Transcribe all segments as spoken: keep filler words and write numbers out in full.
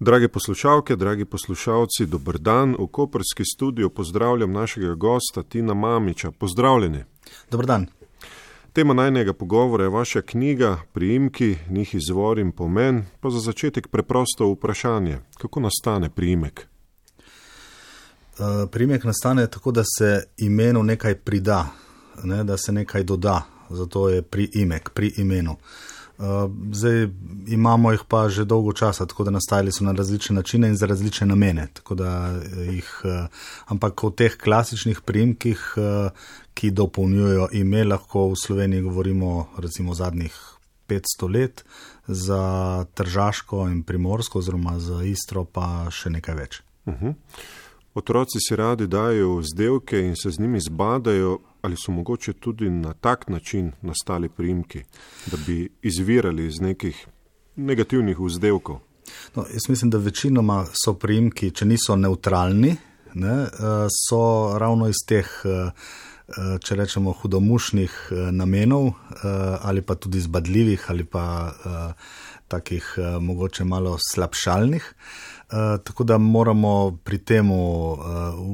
Drage poslušalke, dragi poslušalci, dober dan. V koprski studiu pozdravljam našega gosta Tina Mamića. Pozdravljeni. Dober dan. Tema najnega pogovora je vaša knjiga, priimki, njih izvor in pomen. Pa za začetek preprosto vprašanje. Kako nastane priimek? Uh, priimek nastane tako, da se imenu nekaj prida, ne, da se nekaj doda. Zato je priimek, pri imenu. Uh, zdaj imamo jih pa že dolgo časa, tako da nastajali so na različne načine in za različne namene. Tako da jih, uh, ampak o teh klasičnih priimkih, uh, ki dopolnjujejo ime, lahko v Sloveniji govorimo recimo zadnjih petsto let, za Tržaško in Primorsko oziroma za Istro pa še nekaj več. Uh-huh. Otroci si radi dajo vzdevke in se z njimi zbadajo. Ali so mogoče tudi na tak način nastali priimki, da bi izvirali iz nekih negativnih vzdevkov? No, jaz mislim, da večinoma so priimki, če niso nevtralni, ne, so ravno iz teh, če rečemo, hudomušnih namenov ali pa tudi zbadljivih ali pa takih mogoče malo slabšalnih. Tako da moramo pri temu,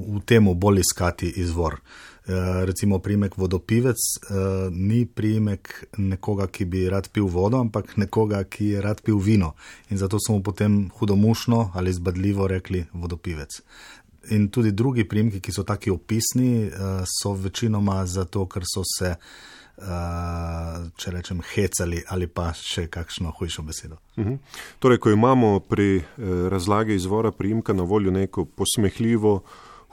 v temu bolj iskati izvor. Recimo priimek vodopivec uh, ni priimek nekoga, ki bi rad pil vodo, ampak nekoga, ki je rad pil vino. In zato smo potem hudomušno ali zbadljivo rekli vodopivec. In tudi drugi priimki, ki so taki opisni, uh, so večinoma zato, ker so se, uh, če rečem, hecali ali pa še kakšno hujšo besedo. Uh-huh. Torej, ko imamo pri eh, razlagi izvora priimka na voljo neko posmehljivo,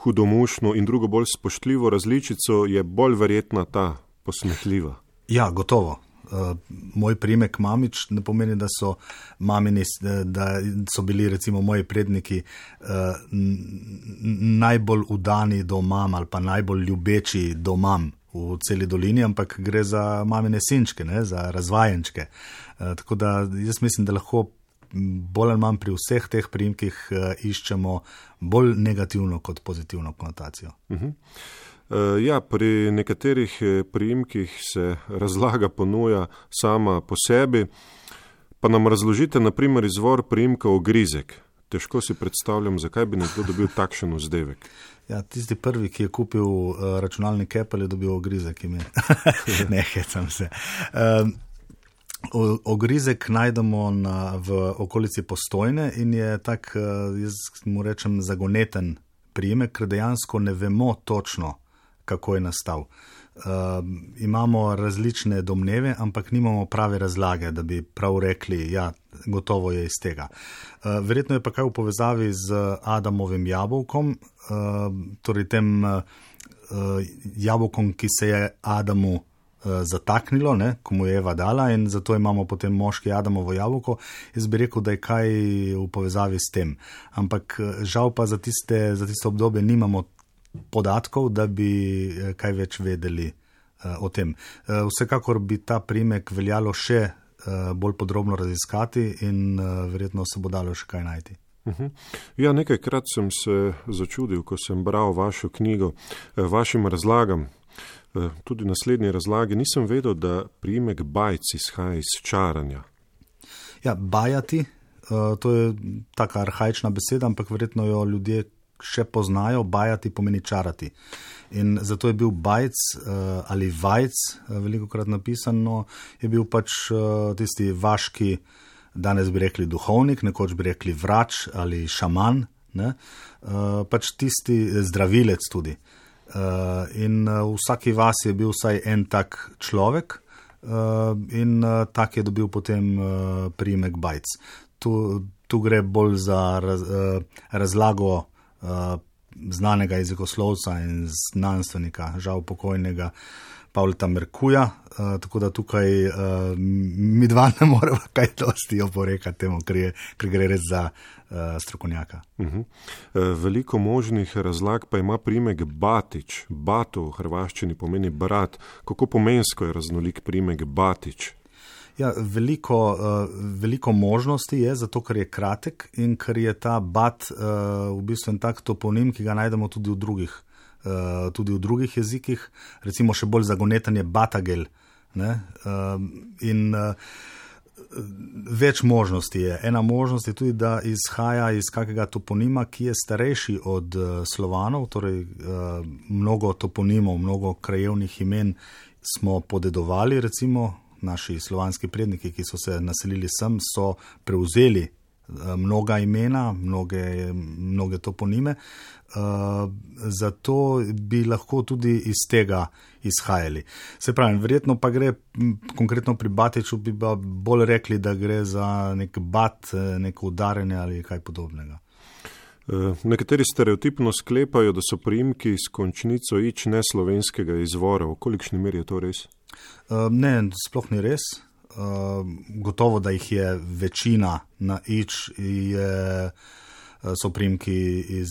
hudomušno in drugo bolj spoštljivo različico, je bolj verjetna ta posmehljiva. Ja, gotovo. Uh, moj priimek Mamić ne pomeni, da so mamini, da so bili recimo moji predniki uh, n- najbolj udani do mam ali pa najbolj ljubeči do mam v celi dolini, ampak gre za mamine sinčke, ne, za razvajenčke. Uh, tako da jaz mislim, da lahko bolj ali manj pri vseh teh priimkih uh, iščemo bolj negativno kot pozitivno konotacijo. Uh-huh. Uh, ja, pri nekaterih priimkih se razlaga ponuja sama po sebi. Pa nam razložite, na primer, izvor priimka Ogrizek. Težko si predstavljam, zakaj bi nekdo dobil takšen vzdevek. Ja, tisti prvi, ki je kupil uh, računalnik Apple, je dobil Ogrizek ime. Ne, hecam se. Um, Ogrizek najdemo na, v okolici Postojne in je tak, jaz mu rečem, zagoneten priimek, ker dejansko ne vemo točno, kako je nastal. Uh, imamo različne domneve, ampak nimamo prave razlage, da bi prav rekli, ja, gotovo je iz tega. Uh, verjetno je pa kaj v povezavi z Adamovim jabolkom, uh, torej tem uh, jabolkom, ki se je Adamu zataknilo, ne, ko mu je Eva dala, in zato imamo potem moški Adamovo jabolko. Jaz bi rekel, da je kaj v povezavi s tem. Ampak žal pa za tiste, za tiste obdobje nimamo podatkov, da bi kaj več vedeli uh, o tem. Uh, vsekakor bi ta priimek veljalo še uh, bolj podrobno raziskati in uh, verjetno se bo dalo še kaj najti. Uh-huh. Ja, nekajkrat sem se začudil, ko sem bral vašo knjigo, vašim razlagam. Tudi v naslednji razlagi nisem vedel, da priimek Bajc izhaja iz čaranja. Ja, bajati, to je taka arhaična beseda, ampak verjetno jo ljudje še poznajo. Bajati pomeni čarati. In zato je bil Bajc ali Vajc, velikokrat napisano, je bil pač tisti vaški, danes bi rekli duhovnik, nekoč bi rekli vrač ali šaman, ne? Pač tisti zdravilec tudi. Uh, in uh, v vsaki vasi je bil vsaj en tak človek uh, in uh, tak je dobil potem uh, priimek Bajc. Tu, tu gre bolj za raz, uh, razlago uh, znanega jezikoslovca in znanstvenika, žal pokojnega Pavleta Merkuja, uh, tako da tukaj uh, mi dva ne moremo kaj dosti oporekati temu, ker, je, ker gre res za uh, strokovnjaka. Uh-huh. Veliko možnih razlag pa ima priimek Batič. Bato v hrvaščini pomeni brat. Kako pomensko je raznolik priimek Batič? Ja, veliko, uh, veliko možnosti je, zato ker je kratek in ker je ta bat uh, v bistvu en tak toponim, ki ga najdemo tudi v drugih Uh, tudi v drugih jezikih, recimo še bolj zagoneten je Batagel. Ne? Uh, in uh, Več možnosti je. Ena možnost je tudi, da izhaja iz kakega toponima, ki je starejši od Slovanov, torej mnogo toponimov, mnogo krajevnih imen smo podedovali, recimo naši slovanski predniki, ki so se naselili sem, so prevzeli mnoga imena, mnoge, mnoge toponime, zato bi lahko tudi iz tega izhajali. Se pravi, verjetno pa gre, konkretno pri Batiču bi pa bolj rekli, da gre za nek bat, neko udarjenje ali kaj podobnega. Nekateri stereotipno sklepajo, da so priimki s končnico ič neslovenskega izvora. V kolikšni meri je to res? Ne, sploh ni res. Gotovo, da jih je večina na ič, je, so priimki iz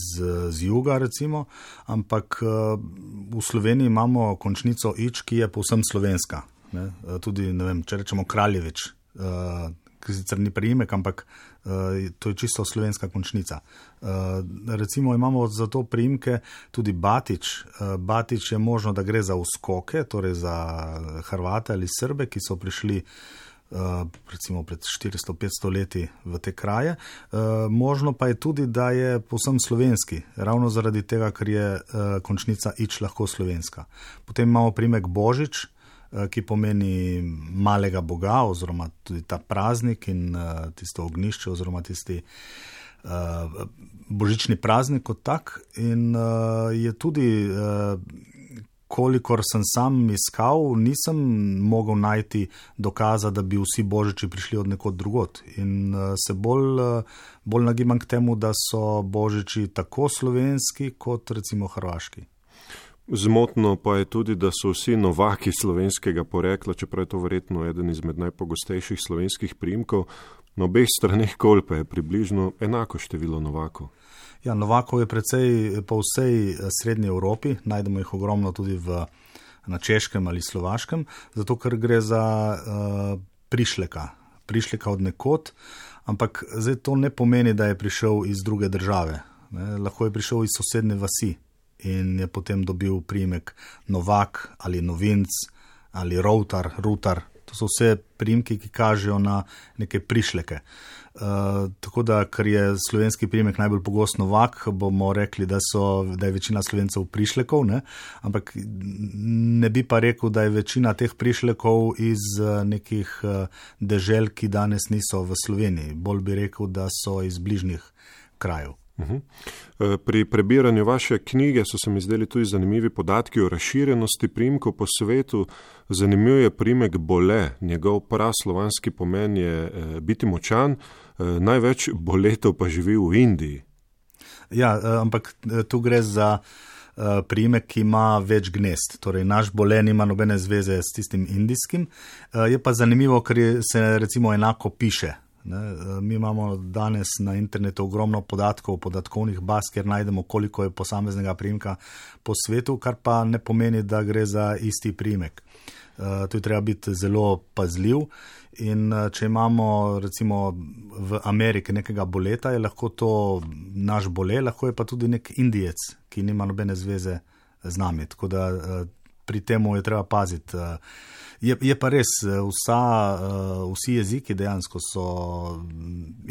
z juga, recimo, ampak v Sloveniji imamo končnico ič, ki je povsem slovenska. Ne? Tudi, ne vem, če rečemo Kraljevič, ki sicer ni priimek, ampak to je čisto slovenska končnica. Recimo imamo za to priimke tudi Batič. Batič je možno, da gre za uskoke, torej za Hrvate ali Srbe, ki so prišli recimo pred štiristo petsto leti v te kraje. Možno pa je tudi, da je povsem slovenski, ravno zaradi tega, ker je končnica ič lahko slovenska. Potem imamo priimek Božič, ki pomeni malega boga, oziroma tudi ta praznik in uh, tisto ognjišče, oziroma tisti uh, božični praznik kot tak. In uh, je tudi, uh, kolikor sem sam iskal, nisem mogel najti dokaza, da bi vsi božiči prišli od nekod drugot. In uh, se bolj, uh, bolj nagibam k temu, da so božiči tako slovenski, kot recimo hrvaški. Zmotno pa je tudi, da so vsi novaki slovenskega porekla, čeprav je to verjetno eden izmed najpogostejših slovenskih priimkov. Na obeh straneh Kolpe je približno enako število novakov. Ja, novakov je precej po vsej srednji Evropi, najdemo jih ogromno tudi v, na Češkem ali Slovaškem, zato ker gre za uh, prišleka, prišleka od nekod, ampak zdaj to ne pomeni, da je prišel iz druge države. Ne? Lahko je prišel iz sosednje vasi in je potem dobil priimek Novak ali Novinc ali Routar, Rutar. To so vse priimki, ki kažejo na neke prišleke. Uh, tako da, ker je slovenski priimek najbolj pogost Novak, bomo rekli, da, so, da je večina Slovencev prišlekov, ne? Ampak ne bi pa rekel, da je večina teh prišlekov iz nekih dežel, ki danes niso v Sloveniji. Bolj bi rekel, da so iz bližnjih krajev. Uhum. Pri prebiranju vaše knjige so se mi zdeli tudi zanimivi podatki o razširjenosti priimkov po svetu. Zanimiv je priimek Bole, njegov praslovanski pomen je biti močan, največ boletov pa živi v Indiji. Ja, ampak tu gre za priimek, ki ima več gnezd. Torej, naš Bole nima nobene zveze s tistim indijskim. Je pa zanimivo, ker se recimo enako piše. Ne, mi imamo danes na internetu ogromno podatkov, podatkovnih baz, kjer najdemo, koliko je posameznega priimka po svetu, kar pa ne pomeni, da gre za isti priimek. Uh, tu je treba biti zelo pazljiv in uh, če imamo recimo v Ameriki nekega boleta, je lahko to naš Bole, lahko je pa tudi nek Indijec, ki nima nobene zveze z nami. Tako da uh, pri temu je treba paziti. Uh, Je, je pa res, vsa, vsi jeziki dejansko so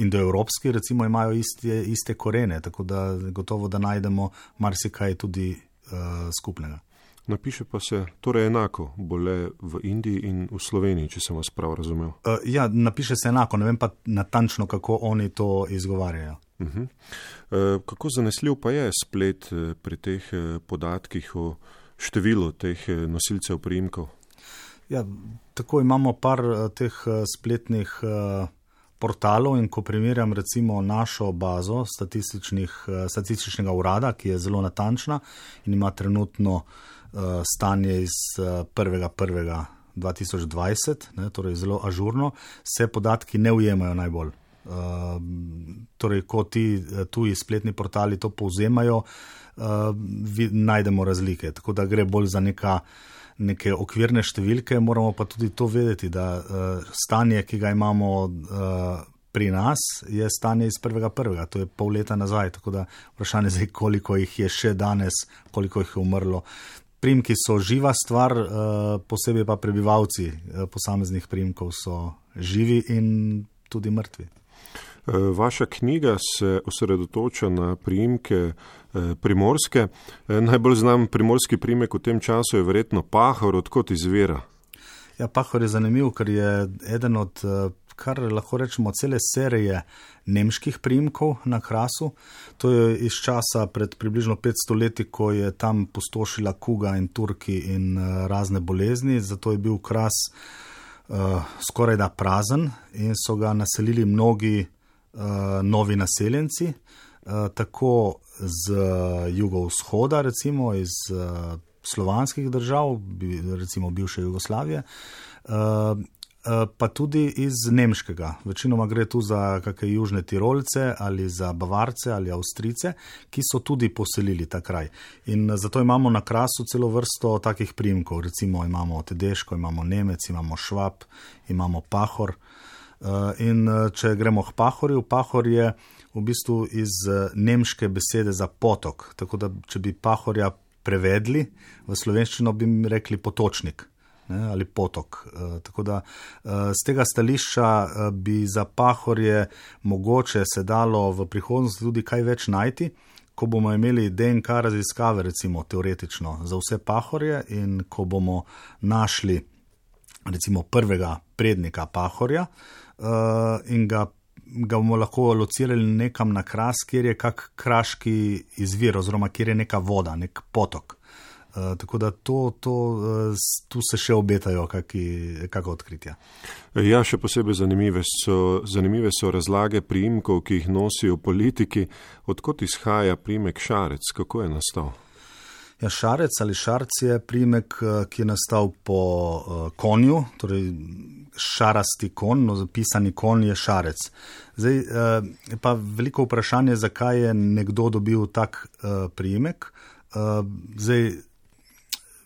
indoevropski, recimo imajo iste, iste korene, tako da gotovo, da najdemo marsikaj tudi uh, skupnega. Napiše pa se torej enako Bole v Indiji in v Sloveniji, če sem vas prav razumel. Uh, ja, napiše se enako, ne vem pa natančno, kako oni to izgovarjajo. Uh-huh. Uh, kako zanesljiv pa je splet pri teh podatkih o številu teh nosilcev priimkov? Ja, tako imamo par teh spletnih portalov in ko primerjam recimo našo bazo statističnega urada, ki je zelo natančna in ima trenutno stanje iz prvega prvega dva tisoč dvajset, ne, torej zelo ažurno, se podatki ne ujemajo najbolj. Torej, ko ti tuji spletni portali to povzemajo, najdemo razlike, tako da gre bolj za neka neke okvirne številke, moramo pa tudi to vedeti, da uh, stanje, ki ga imamo uh, pri nas, je stanje iz prvega prvega, to je pol leta nazaj, tako da vprašanje zdaj, koliko jih je še danes, koliko jih je umrlo, priimki so živa stvar, posebej pa prebivalci posameznih priimkov so živi in tudi mrtvi. Vaša knjiga se osredotoča na priimke primorske. Najbolj znam primorski priimek v tem času je verjetno Pahor, odkot izvira. Ja, Pahor je zanimiv, ker je eden od, kar lahko rečemo, cele serije nemških priimkov na Krasu. To je iz časa pred približno petsto leti, ko je tam pustošila kuga in Turki in razne bolezni, zato je bil Kras uh, skoraj da prazen in so ga naselili mnogi uh, novi naseljenci, uh, tako z jugovzhoda, recimo iz uh, slovanskih držav, recimo bivše Jugoslavije, pa tudi iz nemškega. Večinoma gre tu za kakšne južne Tirolce ali za Bavarce ali Avstrice, ki so tudi poselili ta kraj. In zato imamo na Krasu celo vrsto takih priimkov. Recimo imamo Tedeško, imamo Nemec, imamo Švab, imamo Pahor. In če gremo k Pahorju, Pahor je v bistvu iz nemške besede za potok. Tako da, če bi Pahorja prevedli v slovenščino, bi mi rekli potočnik, ne, ali potok. E, tako da e, z tega stališča e, bi za Pahorje mogoče se dalo v prihodnosti tudi kaj več najti, ko bomo imeli D N K raziskave, recimo teoretično, za vse Pahorje in ko bomo našli recimo prvega prednika Pahorja e, in ga ga bomo lahko locirali nekam na Kras, kjer je kak kraški izvir, oziroma kjer je neka voda, nek potok. Uh, tako da to, to, uh, tu se še obetajo kakšna odkritja. Ja, še posebej zanimive so, zanimive so razlage priimkov, ki jih nosijo politiki. Odkot izhaja priimek Šarec? Kako je nastal? Ja, Šarec ali Šarc je priimek, ki je nastal po uh, konju, torej šarasti kon, no, zapisani kon je Šarec. Zdaj, uh, pa veliko vprašanje, zakaj je nekdo dobil tak uh, priimek. Uh, zdaj,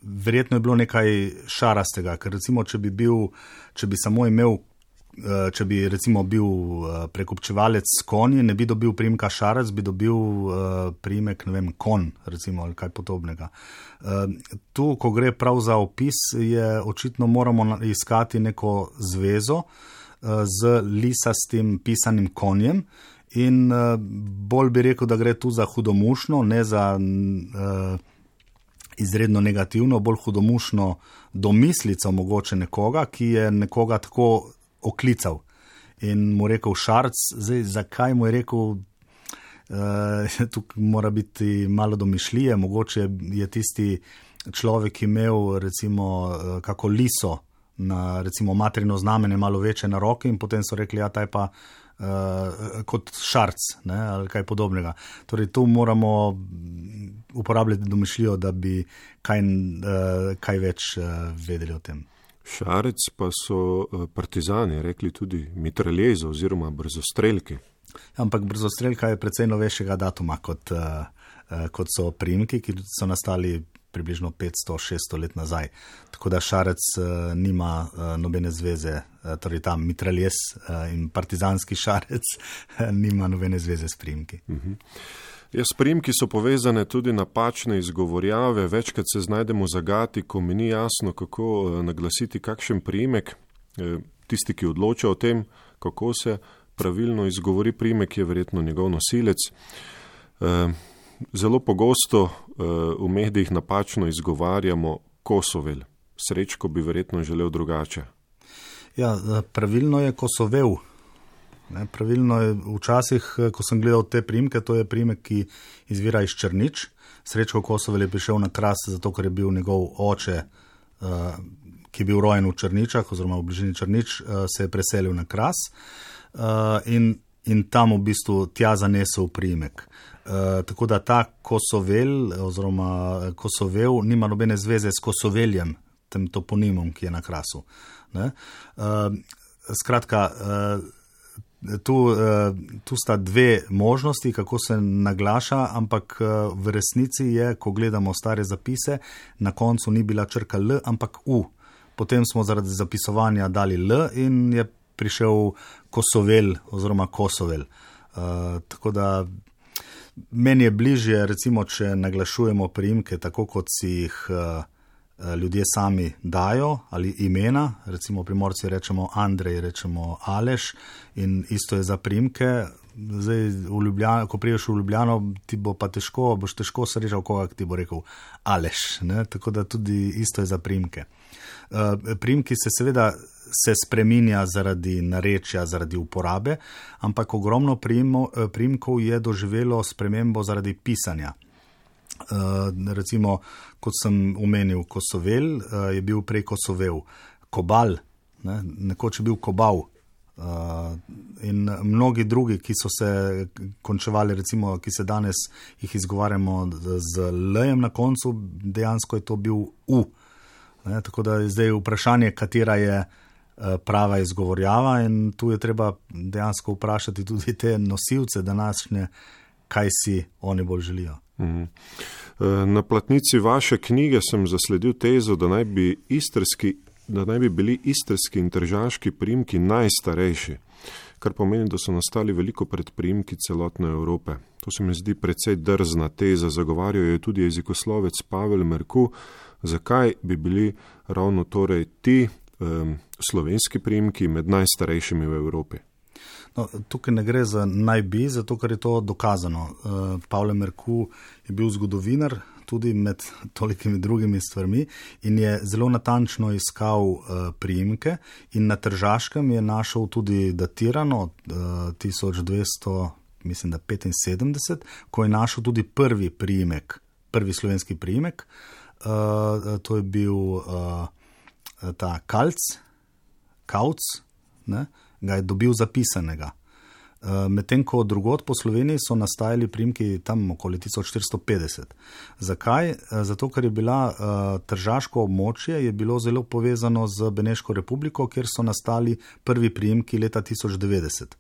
verjetno je bilo nekaj šarastega, ker recimo, če bi bil, če bi samo imel, uh, če bi recimo bil uh, prekupčevalec s konji, ne bi dobil priimka Šarec, bi dobil uh, priimek, ne vem, kon, recimo, ali kaj podobnega. Uh, tu, ko gre prav za opis, je očitno moramo iskati neko zvezo uh, z lisastim pisanim konjem in uh, bolj bi rekel, da gre tu za hudomušno, ne za uh, izredno negativno, bolj hudomušno domislico mogoče nekoga, ki je nekoga tako oklical in mu rekel Šarc. Zdaj, zakaj mu je rekel, uh, tukaj mora biti malo domišljije, mogoče je tisti človek imel recimo uh, kako liso na recimo materino znamenje malo večje na roki in potem so rekli, ja, taj pa uh, kot Šarc, ne, ali kaj podobnega. Torej, tu moramo uporabljati domišljijo, da bi kaj, uh, kaj več uh, vedeli o tem. Šarec pa so partizani rekli tudi mitraljeza oziroma brzostrelki. Ampak brzostrelka je precej novejšega datuma kot, kot so priimki, ki so nastali približno petsto šeststo let nazaj. Tako da Šarec nima nobene zveze, torej ta mitraljez in partizanski Šarec nima nobene zveze s priimki. Uh-huh. Ja, s priimki so povezane tudi napačne izgovorjave, večkrat se znajdemo v zagati, ko mi ni jasno, kako naglasiti kakšen priimek. Tisti, ki odloča o tem, kako se pravilno izgovori priimek, je verjetno njegov nosilec. Zelo pogosto v medijih napačno izgovarjamo Kosovel. Srečko bi verjetno želel drugače. Ja, pravilno je Kosovel. Ne, pravilno je včasih, ko sem gledal te priimke, to je priimek, ki izvira iz Črnič. Srečko Kosovel je prišel na Kras, zato ker je bil njegov oče, uh, ki je bil rojen v Črničah, oziroma v bližini Črnič, uh, se je preselil na Kras uh, in, in tam v bistvu tja zanesel priimek. Uh, tako da ta Kosovel, oziroma Kosovel, nima nobene zveze s Kosoveljem, tem toponimom, ki je na Krasu. Ne? Uh, skratka, uh, Tu, tu sta dve možnosti, kako se naglaša, ampak v resnici je, ko gledamo stare zapise, na koncu ni bila črka L, ampak U. Potem smo zaradi zapisovanja dali L in je prišel Kosovel oziroma Kosovel. Uh, tako da Meni je bližje, recimo, če naglašujemo priimke tako, kot si jih uh, ljudje sami dajo, ali imena, recimo Primorci rečemo Andrej, rečemo Aleš in isto je za priimke. Zdaj, v Ljubljano, ko priješ v Ljubljano, ti bo pa težko, boš težko srečal koga, ki ti bo rekel Aleš, ne? Tako da tudi isto je za priimke. Uh, priimki se seveda se spreminja zaradi narečja, zaradi uporabe, ampak ogromno priimkov je doživelo spremembo zaradi pisanja. Uh, recimo, kot sem omenil, Kosovel uh, je bil prej Kosovel, Kobal, ne? Nekoč je bil Kobal. Uh, in mnogi drugi, ki so se končevali, recimo, ki se danes jih izgovarjamo z L-jem na koncu, dejansko je to bil U. Ne? Tako da je zdaj vprašanje, katera je prava izgovorjava in tu je treba dejansko vprašati tudi te nosilce današnje, kaj si oni bolj želijo. Na platnici vaše knjige sem zasledil tezo, da naj bi istrski, da naj bi bili istrski in tržaški priimki najstarejši, kar pomeni, da so nastali veliko pred priimki celotne Evrope. To se mi zdi precej drzna teza, zagovarjajo jo tudi jezikoslovec Pavel Merku. Zakaj bi bili ravno torej ti um, slovenski priimki med najstarejšimi v Evropi? No, tukaj ne gre za naj bi, zato ker je to dokazano. Uh, Pavel Merku je bil zgodovinar, tudi med tolikimi drugimi stvarmi in je zelo natančno iskal uh, priimke in na Tržaškem je našel tudi datirano uh, tisoč dvesto, mislim da petinsedemdeset, ko je našel tudi prvi priimek, prvi slovenski priimek. Uh, to je bil uh, ta Kalc, Kauc, ne, ga je dobil zapisanega. Uh, medtem ko drugod po Sloveniji so nastajali priimki tam okoli tisoč štiristo petdeset. Zakaj? Uh, zato, ker je bila uh, tržaško območje je bilo zelo povezano z Beneško republiko, kjer so nastali prvi priimki leta tisoč devetdeset.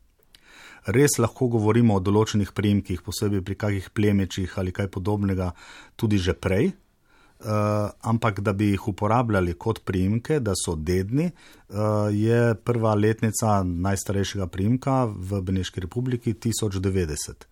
Res lahko govorimo o določenih priimkih, posebej pri kakih plemečih ali kaj podobnega, tudi že prej. Uh, ampak da bi jih uporabljali kot priimke, da so dedni, uh, je prva letnica najstarejšega priimka v Beneški republiki tisoč devetdeset.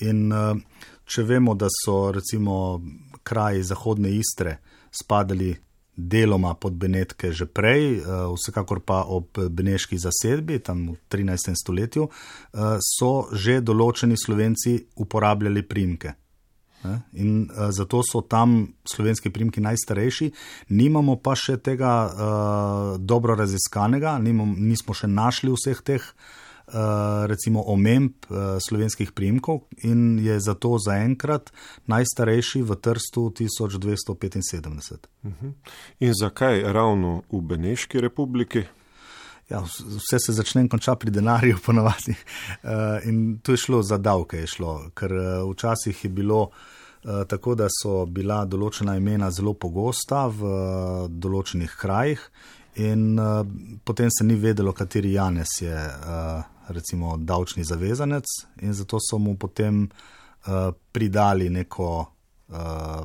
In uh, če vemo, da so recimo kraji zahodne Istre spadali deloma pod Benetke že prej, uh, vsekakor pa ob beneški zasedbi, tam v trinajstem stoletju, uh, so že določeni Slovenci uporabljali priimke. In uh, zato so tam slovenski priimki najstarejši, nimamo pa še tega uh, dobro raziskanega, nimam, nismo še našli vseh teh uh, recimo omemb uh, slovenskih priimkov in je zato zaenkrat najstarejši v Trstu tisoč dvesto petinsedemdeset. Uh-huh. In zakaj ravno v Beneški republiki? Ja, vse se začne in konča pri denarju ponavadi. Uh, in tu je šlo za davke, je šlo, ker uh, včasih je bilo uh, tako, da so bila določena imena zelo pogosta v uh, določenih krajih in uh, potem se ni vedelo, kateri Janez je uh, recimo davčni zavezanec in zato so mu potem uh, pridali neko uh,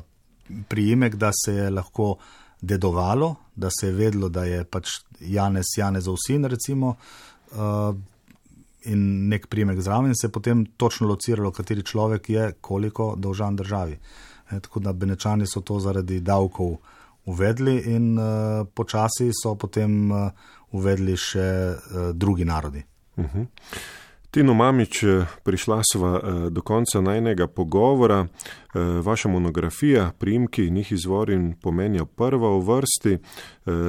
priimek, da se je lahko dedovalo, da se je vedlo, da je pač Janez Janezov sin, recimo, uh, in nek priimek zraven, se je potem točno lociralo, kateri človek je koliko dolžan državi. E, tako da Benečani so to zaradi davkov uvedli in uh, počasi so potem uh, uvedli še uh, drugi narodi. Uh-huh. Tino Mamić, prišla sva do konca najnega pogovora. Vaša monografija, priimki, njih izvor in pomen je prva v vrsti.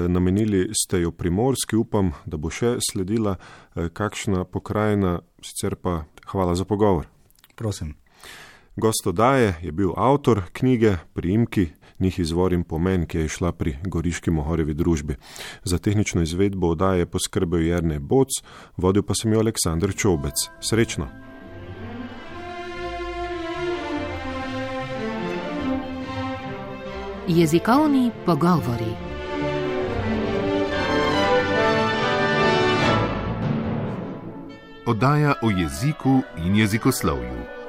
Namenili ste jo Primorski, upam, da bo še sledila kakšna pokrajina, sicer pa hvala za pogovor. Prosim. Gost oddaje je bil avtor knjige Priimki, njih izvor in pomen, ki je šla pri Goriški Mohorjevi družbi. Za tehnično izvedbo oddaje je poskrbel Jernej Boc, vodil pa sem jo Aleksandar Čobec. Srečno! Jezikovni pogovori. Oddaja o jeziku in jezikoslovju.